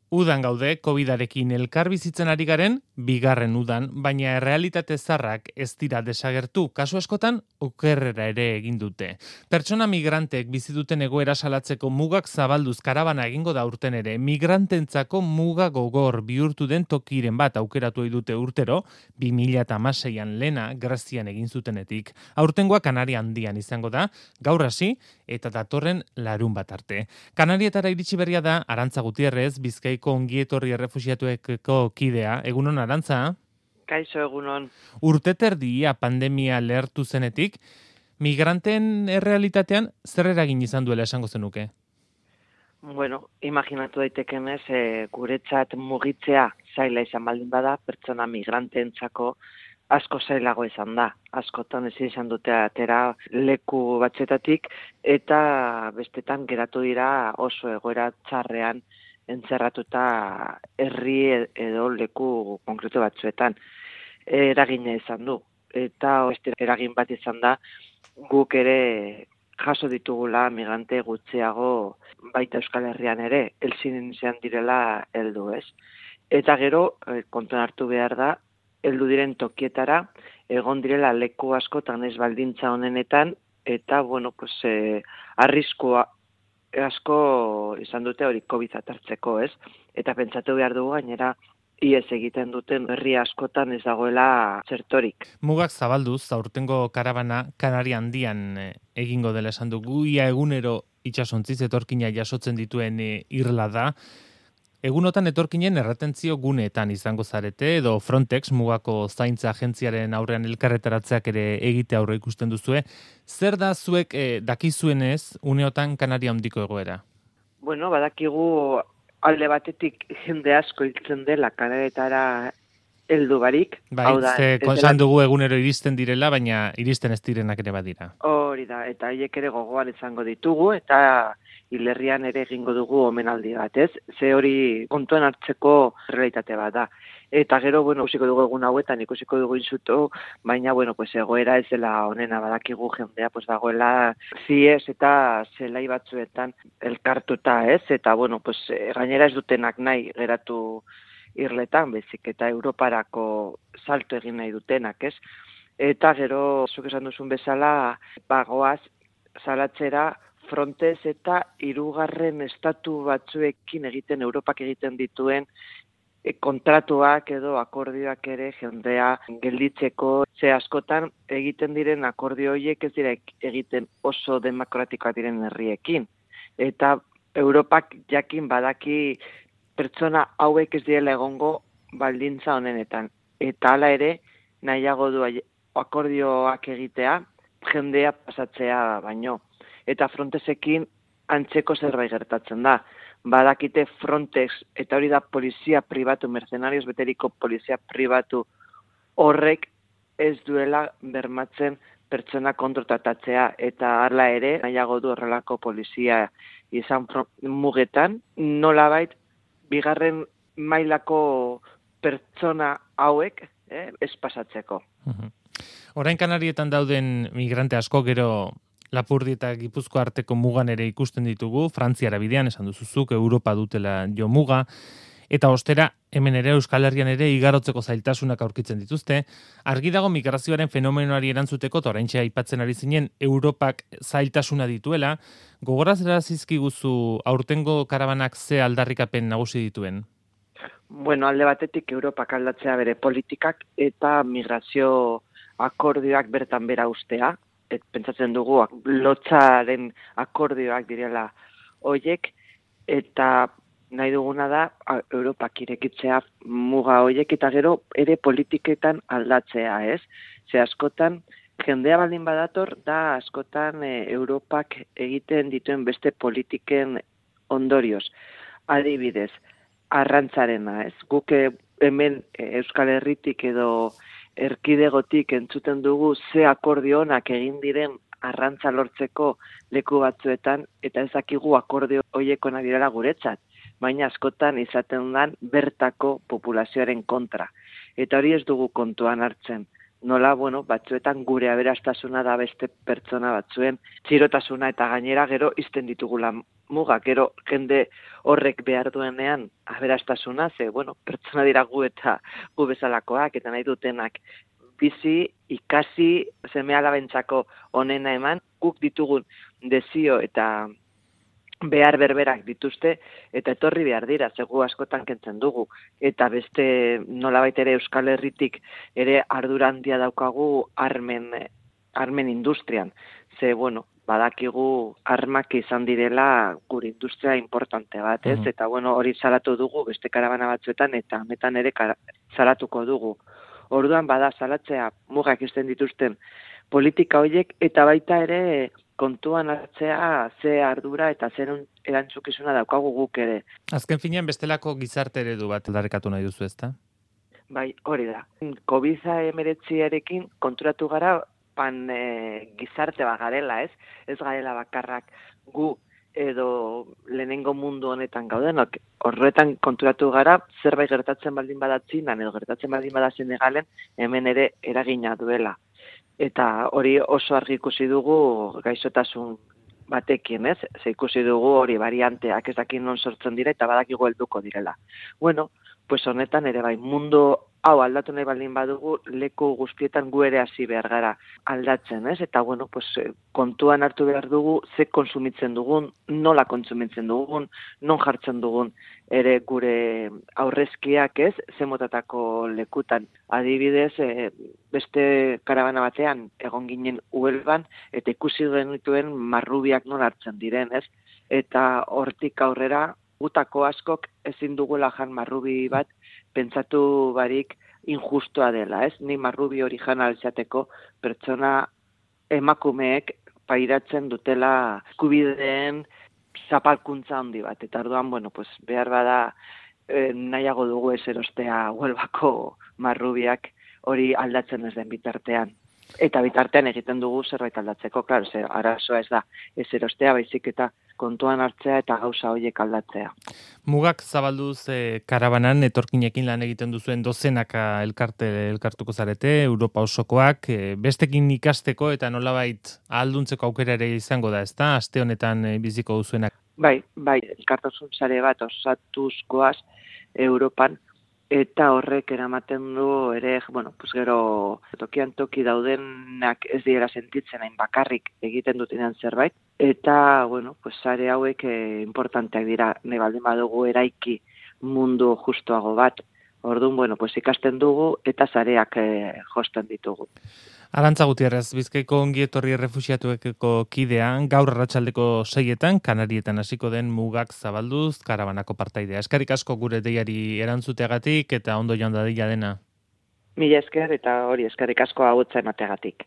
Udan gaude, COVID-arekin elkar bizitzen ari garen, bigarren udan, baina errealitate zarrak ez dira desagertu, kasu askotan okerrera ere egin dute. Pertsona migrantek bizi duten egoera salatzeko mugak zabalduz karabana egingo da urten ere, migrantentzako muga gogor bihurtu den tokiren bat aukeratu ohi dute urtero, 2016an lena Grezian egin zutenetik. Aurtengoa Kanaria Handian izango da, gaur hasi eta datorren larun bat arte. Kanarietara iritsi berria da Arantza Gutierrez, Bizkaiko ongietorri errefuxiatuekeko kidea. Egunon, Arantza? Kaixo, egunon. Urteterdia pandemia lehertu zenetik, migranten errealitatean zer eragin izan duela esango zenuke? Bueno, imaginatu daitekenez, guretzat mugitzea zaila izan baldin bada, pertsona migranteentzako asko zailago izan da. Askotan ezin izan dute atera leku batzetatik eta bestetan geratu dira oso egoera txarrean entzerratuta herri edo leku konkretu batzuetan. Eragina izan du. Eta beste eragin bat izan da guk ere jaso ditugula migrante gutxiago baita Euskal Herrian ere, elzin izan direla heldu, ez? Eta gero, kontuan hartu behar da, heldu diren tokietara, egon direla leku askotan ez baldintza honenetan, eta, bueno, pues, arriskua asko izan dute hori COVID hartzeko, ez? Eta pentsatu behar dugu gainera, iez egiten duten herri askotan ez dagoela zertorik. Mugak zabalduz, aurtengo karabana Kanaria Handian egingo dela esan dugu, ia egunero itsasontziz etorkina jasotzen dituen irla da. Egunotan etorkinen erretentzio guneetan izango zarete, edo Frontex mugako zaintza agentziaren aurrean elkarretaratzeak ere egite aurre ikusten duzue. Zer da zuek dakizuenez uneotan Kanaria Handiko egoera? Bueno, badakigu alde batetik jende asko hiltzen dela Kanarietara heldu barik. Bai, esan dugu egunero iristen direla, baina iristen ez direnak ere badira. Hori da, eta haiek ere gogoan izango ditugu, eta hilerrian ere egingo dugu omenaldi bat, ez? Ze hori kontuan hartzeko realitate bat da. Eta gero, bueno, ikusiko dugu egun hauetan, ikusiko dugu insuto, baina, bueno, pues egoera ez dela honena, badakigu jendea, pues dagoela ziez eta zelai batzuetan elkartuta, ez? Eta, bueno, pues gainera ez dutenak nahi geratu irletan, bezik, eta Europarako salto egin nahi dutenak, ez? Eta gero, zuk esan duzun bezala, bagoaz, salatzera, Frontex eta hirugarren estatu batzuekin egiten, Europak egiten dituen kontratuak edo akordioak ere jendea gelditzeko, ze askotan egiten diren akordio horiek ez dira egiten oso demokratikoak diren herriekin. Eta Europak jakin badaki pertsona hauek ez direla egongo baldintza honenetan. Eta hala ere, nahiago du akordioak egitea, jendea pasatzea baino. Eta Frontexekin antzeko zerbait gertatzen da. Badakite Frontex, eta hori da polizia pribatu, mercenarios beteriko polizia pribatu horrek ez duela bermatzen pertsona kontratatzea, eta hala ere, nahiago du horrelako polizia izan mugetan, nolabait, bigarren mailako pertsona hauek ez pasatzeko. Orain Kanarietan dauden migrante asko gero Lapurdi eta Gipuzkoa arteko mugan ere ikusten ditugu, Frantziara bidean, esan duzuzuk, Europa dutela jo muga, eta ostera, hemen ere Euskal Herrian ere igarotzeko zailtasunak aurkitzen dituzte. Argi dago migrazioaren fenomenoari erantzuteko, eta oraintxe aipatzen ari zinen, Europak zailtasuna dituela. Gogorazera zizkiguzu aurtengo karabanak ze aldarrikapen nagusi dituen? Bueno, alde batetik Europak aldatzea bere politikak eta migrazio akordioak bertan bera ustea. Pentsatzen dugu lotzaren akordioak direla hoiek, eta nahi duguna da Europak irekitzea muga hoiek, eta gero ere politiketan aldatzea, ez? Ze askotan, jendea baldin badator, da askotan Europak egiten dituen beste politiken ondorioz. Adibidez, arrantzarena, ez? Guk hemen Euskal Herritik edo erkidegotik entzuten dugu ze akordio onak egin diren arrantza lortzeko leku batzuetan, eta ez dakigu akordio horiek onak direla guretzat, baina askotan izaten dan bertako populazioaren kontra. Eta hori ez dugu kontuan hartzen. nola, bueno, batzuetan gure aberastasuna da beste pertsona batzuen txirotasuna eta gainera gero izten ditugula mugak, gero jende horrek behar duenean aberastasuna, ze, bueno, pertsona dira gu eta gu bezalakoak eta nahi dutenak bizi, ikasi, seme-alabentzako onena eman, guk ditugun desio eta behar berberak dituzte, eta etorri behar dira, zegu askotan kentzen dugu. Eta beste nolabait ere Euskal Herritik ere ardura handia daukagu armen industrian. Ze, bueno, badakigu armak izan direla gure industria importante bat, ez? Eta, bueno, hori salatu dugu beste karabana batzuetan, eta honetan ere salatuko dugu. Orduan, bada, salatzea mugak izten dituzten politika horiek, eta baita ere kontuan hartzea ze ardura eta zer erantzukizuna daukagu guk ere. Azken finean bestelako gizarte eredu bat aldarrikatu nahi duzu, ezta? Bai, hori da. COVID-19arekin konturatu gara gizarte bat garela, ez? Ez garela bakarrak gu edo lehenengo mundu honetan gaudenok. Horretan konturatu gara zerbait gertatzen baldin bada Txinan edo gertatzen baldin bada Senegalen hemen ere eragina duela. Eta hori oso argi ikusi dugu gaixotasun batekin, ez? Ze ikusi dugu hori varianteak ez dakit non sortzen dira eta badakigu helduko direla. Bueno, pues honetan ere bai, mundu hau aldatu nahi baldin badugu, leku guztietan gu ere hasi behar gara aldatzen, ez? Eta, bueno, pues, kontuan hartu behar dugu, ze konsumitzen dugun, nola kontsumitzen dugun, non jartzen dugun ere gure aurrezkiak, ez? Ze motatako lekutan. Adibidez, beste karabana batean egon ginen Huelvan, eta ikusi genituen marrubiak nola hartzen diren, ez? Eta hortik aurrera, gutako askok ezin dugula jan marrubi bat, pentsatu barik injustua dela, ez? Ni marrubi hori jan izateko pertsona emakumeek pairatzen dutela eskubideen zapalkuntza handi bat. Eta orduan, bueno, pues behar bada nahiago dugu ez erostea Huelvako marrubiak hori aldatzen ez den bitartean. Eta bitartean egiten dugu zerbait aldatzeko, klaro, arazoa ez da ez erostea, baizik eta kontuan hartzea eta gauza horiek aldatzea. Mugak zabalduz karabanan etorkinekin lan egiten duzuen dozenaka elkartuko zarete, Europa osokoak, bestekin ikasteko eta nolabait ahalduntzeko aukera ere izango da, ezta? Aste honetan biziko duzuenak. Bai, elkartasun sare bat osatuzkoaz Europan, eta horrek eramaten du ere, bueno, pues gero tokian toki daudenak ez diera sentitzen hain bakarrik egiten dutenean zerbait, eta, bueno, pues sare hauek importanteak dira, nahi baldin badugu eraiki mundu justuago bat. Orduan, bueno, pues ikasten dugu eta sareak josten ditugu. Arantza Gutierrez, Bizkaiko ongietorri errefuxiatuekeko kidean, gaur arratsaldeko 6etan, Kanarietan hasiko den Mugak zabalduz, karabanako partaidea. Eskerrik asko gure deiari erantzuteagatik eta ondo joan dadila dena. Mila esker eta hori eskerrik asko hautzen ategatik.